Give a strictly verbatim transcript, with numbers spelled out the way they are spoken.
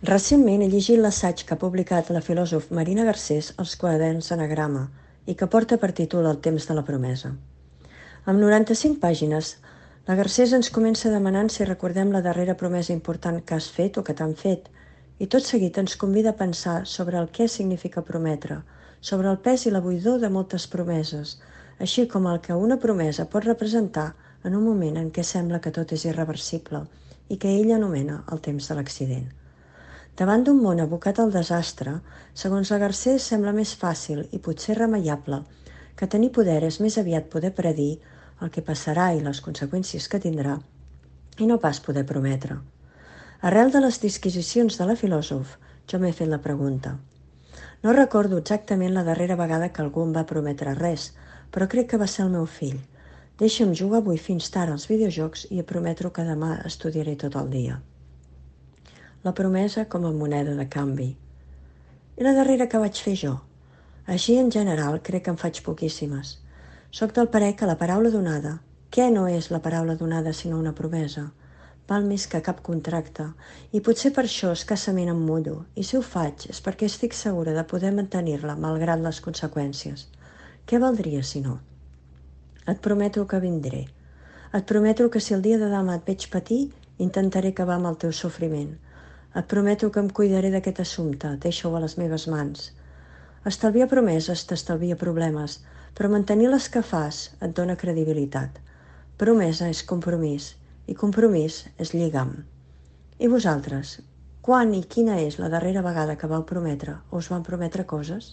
Recentment he llegit l'assaig que ha publicat la filòsof Marina Garcés als quaderns Anagrama i que porta per títol El temps de la promesa. Amb noranta-cinc pàgines, la Garcés ens comença demanant si recordem la darrera promesa important que has fet o que t'han fet, i tot seguit ens convida a pensar sobre el què significa prometre, sobre el pes i la buidor de moltes promeses, així com el que una promesa pot representar en un moment en què sembla que tot és irreversible i que ella anomena el temps de l'accident. Davant d'un món abocat al desastre, segons la Garcés sembla més fàcil i potser remeiable que tenir poder és més aviat poder predir el que passarà i les conseqüències que tindrà, i no pas poder prometre. Arrel de les disquisicions de la filòsof, jo m'he fet la pregunta. No recordo exactament la darrera vegada que algú em va prometre res, però crec que va ser el meu fill. Deixa'm jugar avui fins tard als videojocs i et prometo que demà estudiaré tot el dia. La promesa com a moneda de canvi. I la darrera que vaig fer jo? Així, en general, crec que en faig poquíssimes. Soc del parer que la paraula donada, què no és la paraula donada sinó una promesa? Val més que cap contracte, i potser per això escassament em mullo, i si ho faig és perquè estic segura de poder mantenir-la malgrat les conseqüències. Què valdria si no? Et prometo que vindré. Et prometo que si el dia de demà et veig patir, intentaré acabar amb el teu sofriment. Et prometo que em cuidaré d'aquest assumpte, deixa-ho a les meves mans. Estalviar promeses t'estalvia problemes, però mantenir les que fas et dona credibilitat. Promesa és compromís, i compromís és lligam. I vosaltres, quan i quina és la darrera vegada que vau prometre o us van prometre coses?